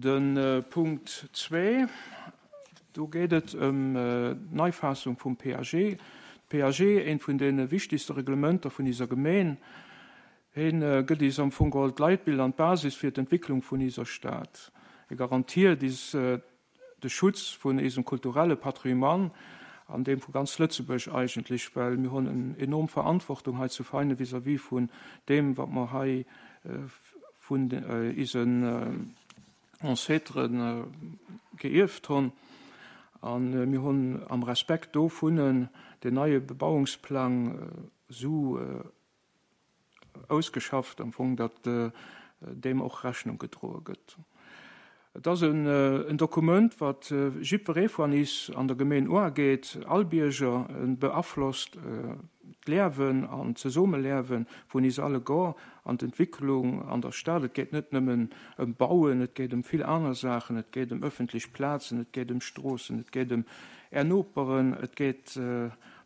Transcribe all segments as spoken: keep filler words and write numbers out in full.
De Punkt zwee, do geet et ëm d'Neifaassung vum P A G. P A G, eent vun deene wichtigste Reglementer vun iser Gemeen, hien gëtt is am Fong geholl d'Leitbild an d'Basis fir d'Entwicklung vun iser Stad. E garantiert is de Schutz vun isem kulturelle Patrimoine an deem vu ganz Lëtzebuerg eigentlech, well mir hunn en enorm Verantwortung hei zu Veinen vis-à-vis vun deem, wat mer hei vun isen Ancêteren geierft hunn. An mir hunn am Respekt dovun den neie Bebauungsplang sou ausgeschafft am Fong, datt deem och Rechnung gedroe gëtt. Et ass en, en Dokument, wat jiddweree vun is an der Gemeen ugeet, all Bierger beaflosst d'Liewen an d'Zesummeliewe vun is alleguer an d'Entwicklung an der Stad. Et geet net nëmmen ëm Bauen, et geet ëm vill aner Saachen, et geet ëm ëffentlech Plazen, et geet ëm Stroossen, et geet ëm är Noperen, et geet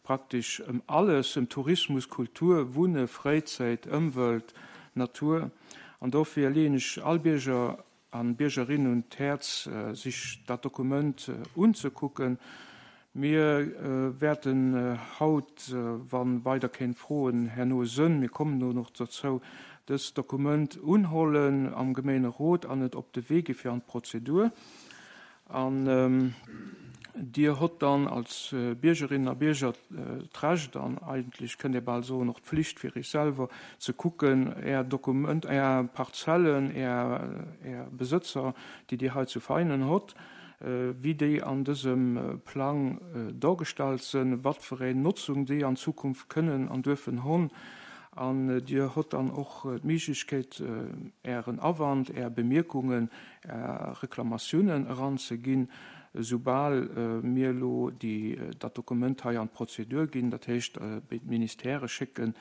praktesch ëm alles, ëm Tourismus, Kultur, Wunne, Fräizäit, Ëmwelt, Natur. An dofir leeën ech all Bierger an Biergerinnen un d'Häerz, sech dat Dokument unzekucken. Mir wäerten haut, wann weider keng Froen herno sënn, mir kommen do nach dozou, dëst Dokument unhollen am Gemeenerot an et op de Wee gi fir an d'Prozedur. An Dir hott dann als Biergerinnen a Bierger d'Recht an eigentlech kënnt Dir bal soen och d'Pflicht, fir Iech selwer ze kucken, Är Dokument, Är Parzellen, Är, Är Besëtzer, déi Dir hei zu Veinen hott, wéi déi an dësem Plang dargestallt sinn, wat fir eng Notzung déi an Zukunft kënnen an duerfen hunn. An Dir hott dann och d'Méiglechkeet, Ären Awand, Är Bemierkungen, Är Reklamatiounen eranzeginn, soubal mir elo déi dat Dokument hei an d'Prozedur ginn, dat heescht bei d'Ministère schécken.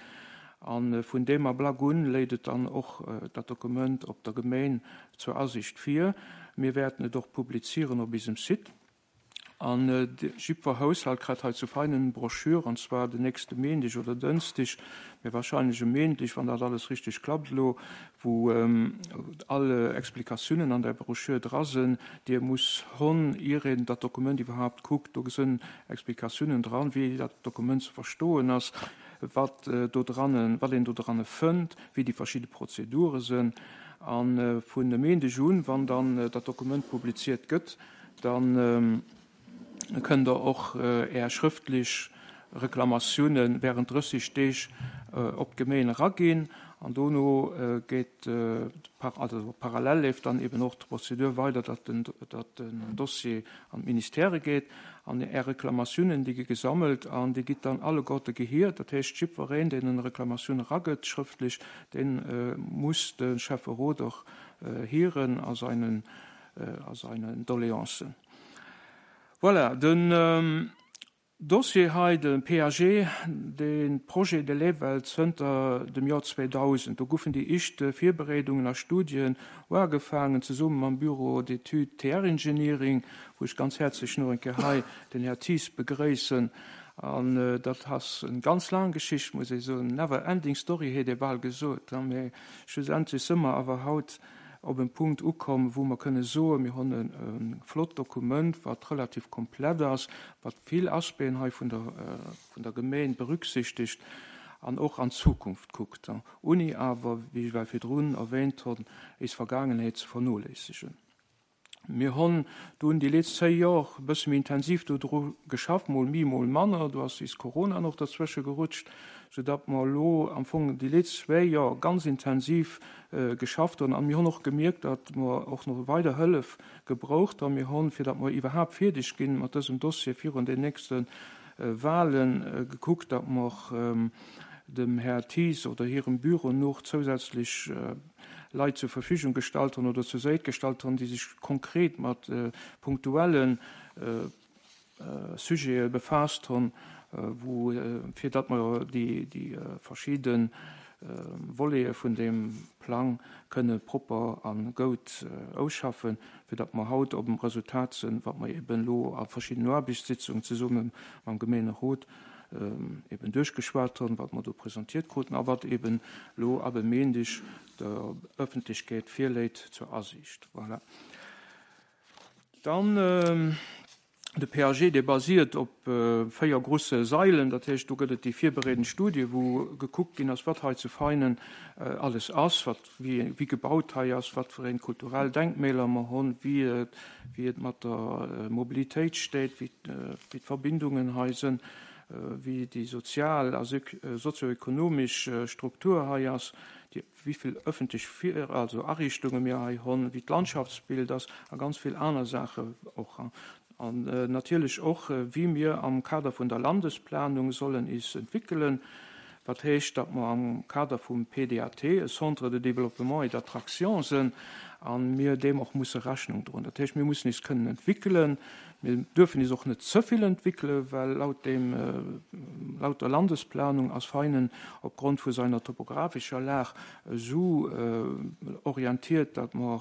An vun deem Ablack un léit et dann och dat Dokument op der Gemeen zur Asiicht vir. Mir wäerten et och publizieren op isem Site. An jiddwer Haushalt kritt hei zu Veinen Broschür, an zwar den nächste Méindeg oder Dënschdeg, mee wahrscheinlech e Méindeg, wann dat alles richteg klappt elo, wou all Explikatiounen an der Broschür dra sinn, déi e muss hunn, ier een dat Dokument iwwerhaapt kuckt. Do sinn Explikatiounen dran, wéi dat Dokument ze verstoen ass, wat do dran, wat een do dran fënnt, wéi déi verschidde Prozedure sinn. An vun e Méindeg un, wann dann dat Dokument publiziert gëtt, dann kënnt Der och Är schrëftlech Reklamatioune während drësseg Deeg op d'Gemeen eraginn. An dono geet, also parallel leeft dann eben och d'Prozedur weider, datt den, datt den Dossier an d'Ministère geet. An Är Reklamatiounen, déi gi gesammelt an déi gitt dann alleguerte gehiert. Dat heescht, jiddwereen, deen eng Reklamatioun eragëtt schrëftlech, dee muss de Schäfferot och hieren a seinen, a seinen Doléancen. Voilà, den Dossier hei, de P A G, de Projet, dee leeft well zënter dem Joer zweedausend. Do goufen déi éischt Virbereedungen a Studien ugefaangen, zesumme mam Bureau d'études T R Engineering, wou ech ganz häerzlech nach eng Kéier hei den Här Thies begréissen. An dat ass eng ganz laang Geschicht, muss ech soen, never ending story, hätt ee bal gesot. Mee schlussendlech si mer awer haut op en Punkt ukomm, wou mer kënne soen, mir hunn e flott Dokument, wat relativ komplett ass, wat vill Aspecten hei vun der, vun der Gemeen berücksichtegt an och an d'Zukunft kuckt, ouni awer, wéi ech well virdrun erwähnt hunn, eis Vergaangenheet ze vernoléissegen. Mir hunn dunn déi letzt zéi Joer e bësse méi intensiv do dru geschafft, mol méi, mol manner, do ass is Corona nach derzwësche gerutscht, soudatt mer elo am Fong déi letzt zwee Joer ganz intensiv geschafft hunn. An mir hunn och gemierkt, datt mer och nach weider Hëllef gebraucht hunn. Mir hunn, fir datt mer iwwerhaapt fierdeg ginn mat dësem Dossier virun den nächste Wahlen, gekuckt, datt mer dem Här Thies oder hirem Büro nach zousätzlech Leit zur Verfügung gestallt hunn oder zur Säit gestallt hunn, déi sech konkret mat punktuelle Sujete befaasst hunn, wou fir datt mer déi déi verschidde Volete vun deem Plang kënne propper a goud ausschaffen, fir datt mer haut op dem Resultat sinn, wat mer eben elo a verschiddenen Aarbechtssitzungen zesumme mam Gemeenerot eben duerchgeschwat hunn, wat mer do presentiert kruten a wat eben elo ab e Méindeg der Ëffentlechkeet virléit zur Asiicht. Voilà. Dann äh, de P A G, dee basiert op äh, véier grousse Sailen, dat heescht, do gëtt et déi virbereedend Studie, wou gekuckt ginn ass, wat hei zu Veinen äh, alles ass, wat, wéi, wéi gebaut hei ass, wat fir eng kulturell Denkmäler mer hunn, wéi et, wéi et mat der äh, Mobilitéit steet, wéi, äh, wéi d'Verbindungen hei sinn, äh, wéi déi sozial a sozioekonomesch äh, Struktur hei ass, déi, wéi vill ëffentlech also Ariichtunge mir hei hunn, wéi d'Landschaftsbild ass a ganz vill aner Saachen och. An äh, natierlech och, äh, wéi mir am Kader vun der Landesplanung sollen is entwéckelen, wat heescht, datt mer am Kader vum P D A T, e Centre de développement et d'attraction sinn, an mir deem och musse Rechnung droen. Dat heescht, mir mussen is kënnen entwéckelen, mir dierfen is och net ze vill entwéckelen, well laut dem äh, laut der Landesplanung ass Veinen opgrond vu seiner topografischer Lag sou äh, orientiert, datt mer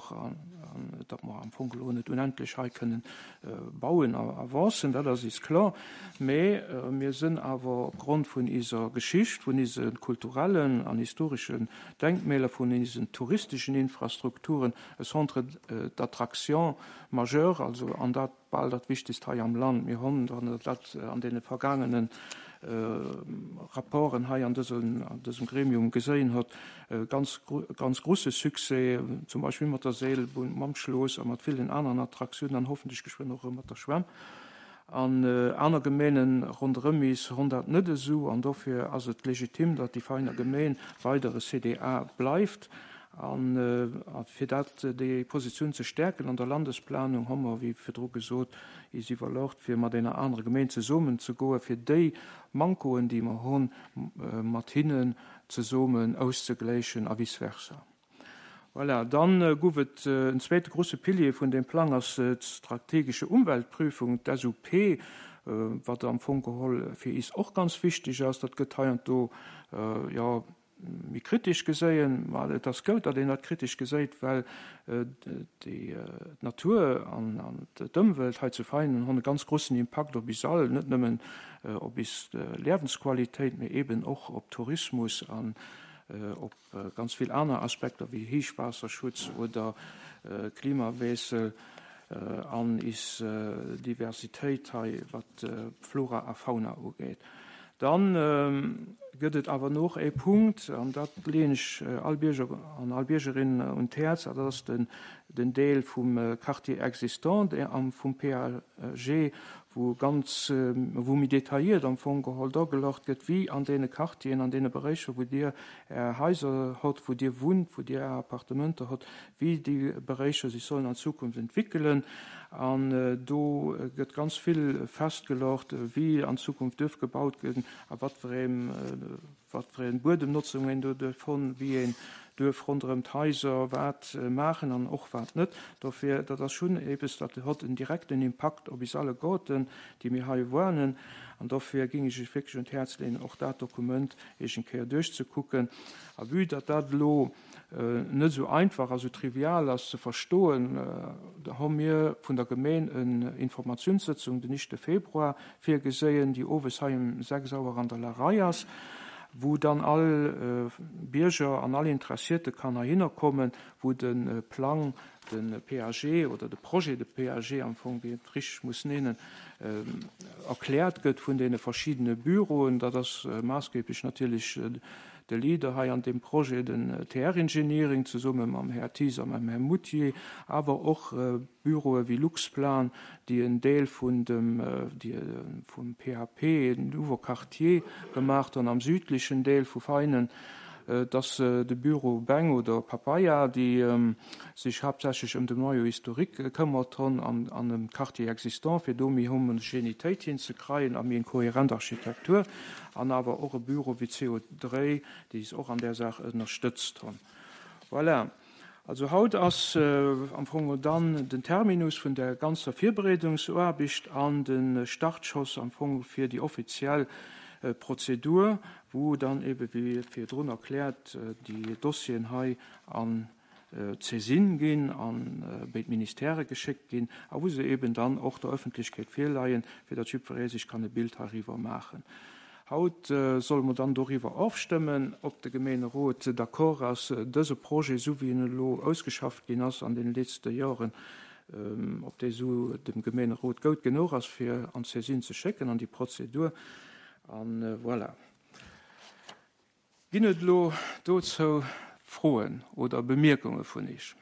datt mer am Fong net onendlech hei kënnen äh, bauen a avancen, dat ass is kloer. Mee äh, mir sinn awer opgrond vun iser Geschicht, vun ise kulturellen an historeschen Denkmäler, vun isen touristeschen Infrastrukturen e Centre äh, d'attraction majeur, also an dat bal dat wichtegst hei am Land. Mir hunn dat an deene vergaangenen äh, Rapporten hei an dësem, an dësem Gremium gesinn huet, äh, ganz, ganz grousse Succès, zum Beispill mat der Seelbunn, mam Schloss a mat villen aneren Attraktiounen, an hoffentlech geschwënn och mat der Schwämm. An äh, aner Gemengen ronderëm is hunn dat net esou, an dofir ass et legitim, datt déi Veiner Gemeng weider e C D A bleift. An äh, fir dat déi Positioun ze stäerken an der Landesplanung hu mer, wéi virdru gesot, is iwwerluecht, fir mat enger anerer Gemeng zesummen ze goen, fir déi Mankoen, déi mer hunn, äh, mat hinnen zesummen auszegläichen a vice versa. Voilà, dann äh, gouf et äh, en zweete grousse Pilier vun deem Plang ass äh, d'strategesche Umweltprüfung, d'S U P, äh, wat am Fong geholl fir is och ganz wichteg ass, dat gëtt heiansdo äh, ja, méi kritesch gesinn, well et ass gutt, datt een dat kritesch gesäit, well äh, déi äh, Natur an, an d'Ëmwelt hei zu Veinen hunn e ganz groussen Impakt op is all, net nëmmen äh, op is äh, Liewensqualitéit, mee eben och op Tourismus an äh, op äh, ganz vill aner Aspekter wéi Héichwaasserschutz oder äh, Klimawiessel äh, an is äh, Diversitéit hei, wat äh, Flora a Fauna ugeet. Dann ähm, gëtt et awer nach e Punkt, an dat leeën ech äh, all Bierger an all Biergerin äh, un d'Häerz, dat ass den, den Deel vum äh, Quartier existant am vum P A G, wou ganz äh, wou méi detailléiert am Fong geholl duergeluecht gëtt, wéi an deene Quartieren, an deene Beräicher, wou dir är Haiser hutt, wou dir wunnt, wou dir Appartementer hutt, wéi déi Beräicher sech sollen an Zukunft entwéckelen. An äh, do gëtt ganz vill festgeluecht, wéi an Zukunft duerf gebaut ginn, a wat fir eng äh, wat fir eng Buedemnotzung een do duerf hunn, wéi een duerf ronderëm d'Haiser wat äh, maachen an och wat net. Dofir, dat ass schonn eppes, dat huet en direkten Impakt op is alleguerten, déi mir hei wunnen. An dofir géing ech iech wierklech un d'Häerz leeën, och dat Dokument eng Kéier duerchzekucken. A vue datt dat lo äh, net sou einfach, also trivial ass ze verstoen, äh, da hu mir vun der Gemeng eng Informatiounssëtzung den éischte Februar virgesinn, déi owes hei um sechs Auer an der Larei ass, wou dann all äh, Bierger an all Interesséierte kann heihinner kommen, wou den äh, Plang, den P A G oder de Projet de P A G am Fong, wéi et richteg muss nennen, äh, erkläert gëtt vun deene verschiddene Büroen. Dat ass äh, maassgeeblech natierlech äh, de Leader hei an deem Projet, den äh, T R Engineering zesumme mam Här Thies a mam Här Moutier, awer och äh, Büroe wéi Luxplan, déi en Deel vun dem äh, déi, äh, vum P A P, Nouveau Quartier gemaach hunn am südlechen Deel vu Veinen, äh, dass äh, de Büro Beng oder Papaya, déi ähm, sech haaptsächlech ëm de Noyau historique gekëmmert hunn an, an dem Quartier existant, fir do méi Homogenitéit hinzekréien a méi eng kohärent Architektur, an awer och e Büro wéi C O dräi, déi eis och an där Saach ënnerstëtzt hunn. Voilà. Also haut ass äh, am Fong dann den Terminus vun der ganzer Virbereedungsaarbecht an den Startschoss am Fong fir déi offiziell äh, Prozedur, wou dann eben wéi virdrun erkläert äh, déi Dossieren hei an äh, d'Saisine ginn, an äh, béid Ministèrë geschéckt ginn, a wou se eben dann och der Ëffentlechkeet virleien, fir datt jiddweree sech kann e Bild heiriwwer maachen. Haut äh, solle mer dann doriwwer ofstëmmen, ob de Gemeenerot d'accord ass, dëse Projet, sou wéi en elo ausgeschafft ginn ass an den leschte Joren, ob déi esou dem Gemeenerot goud genuch ass, fir an d'Saisine ze schécken, an déi Prozedur. An voilà. Ginn et elo dozou Froen oder Bemierkunge vun Iech?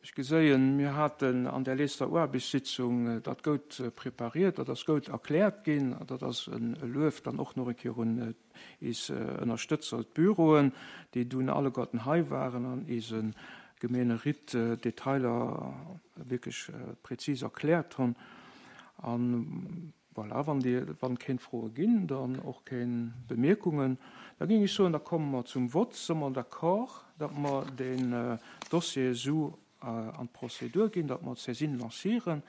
Ech geséien, mir haten an där letzter Aarbechtssitzung dat goud prepariert, dat ass goud erkläert ginn, dat ass e Luef dann och nach eng Kéier un eis Ënnerstëtzer, d'Büroen, déi dunn alleguerten hei waren an eise Gemeeneritt d'Detailer wierklech präzis erkläert hunn. An voilà, wann déi, wann keng Froe ginn, dann och keng Bemierkungen, da géing ech soen, da komme mer zum Vott. Si mer d'accord, datt mer deen Dossier esou an d'Prozedur ginn, datt mer d'Saisine lancieren?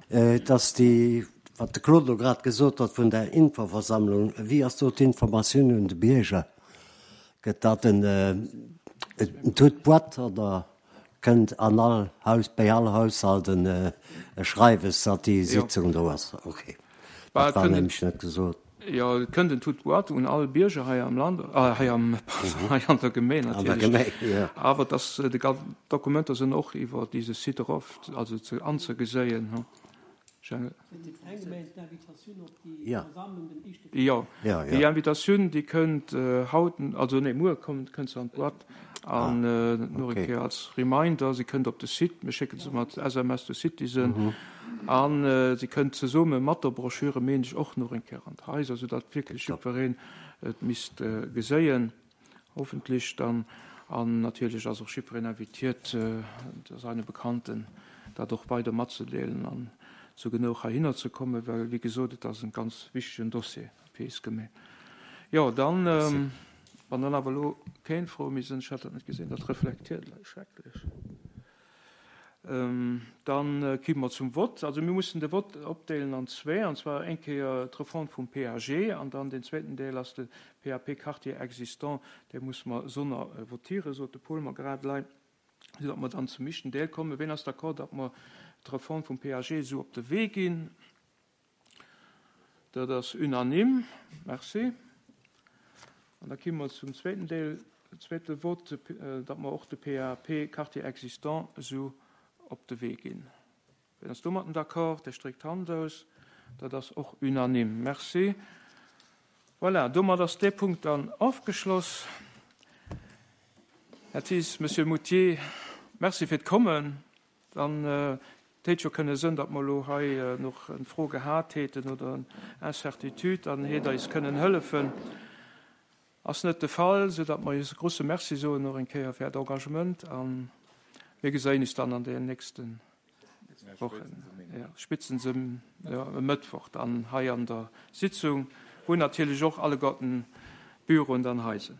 Et ass déi, wat de Claude elo grad gesot huet vun der Infoversammlung. Wéi ass do d'Informatioun un de Bierger? Gëtt dat en toute boîte oder kënnt an all Haus, bei all Haushalt en e Schreiwes, datt déi Sitzung do ass? Okay, dat war nämlech net gesot. Jo, et kënnt en toute boîte un all Bierger hei am Land, hei am, pardon, hei an der Gemeng natierlech. Awer dass déi Dokumenter sinn och iwwer dise Site erof, also ze anzegeséien. Jo, déi Invitatioun, déi kënnt haut, also nee, muer kommt, kënnt se an d'Boîte. An nach eng Kéier als Reminder, se kënnt op de Site, mir schécke se mat S M S de Citizen. An se kënnt zesumme mat der Broschüre, meen ech, och nach eng Kéier an d'Haiser, soudatt wierklech jiddwereen et misst geséien, hoffentlich dann. An natierlech ass och jiddwereen invitiert, seine Bekannten dat och weider matzedeelen an zu genug heihinner ze kommen, well, wéi gesot, et ass en ganz wichtegen Dossier fir eis Gemeng. Jo, dann, wann dann awer elo keng Fro méi sinn, ech hat dat net gesinn, dat reflektiert schrecklech. Dann komme mer zum Vott. Also mir mussen de Vott opdeelen an zwee, an zwar eng Kéier d'Refonte vum P A G an dann den zweeten Deel ass de P A P Quartier existant, dee muss mer sonner votieren, sot de Paul mer grad lei, sodatt mer dann zum éischten Deel kommen. Wien ass d'accord, datt mer d'Refonte vum P A G esou op de Wee ginn? Dat ass unanime. Merci. An da komme mer zum zweeten Deel, zweete Vott, datt mer och de P A P Quartier existant esou op de Wee ginn. Wien ass domatten d'accord? Der streckt d'Hand aus. Dat ass och unanime. Merci. Voilà, domat ass dee Punkt dann ofgeschloss. Här Thies, Monsieur Moutier, merci fir d'Kommen. Dann d'hät jo kënne sënn, datt mer elo hei noch eng Fro gehat hätten oder eng Incertitude, dann hätt eis kënnen hëllefen. Ass net de Fall, so datt mer eis e grosse Merci soen noch eng Kéier fir d'Engagement an mir geséien uns dann an den nächsten Wochen. Ja, spitzen se, ja, e Mëttwoch dann hei an der Sitzung, wo natierlech och alleguerten Büroen dann hei sinn.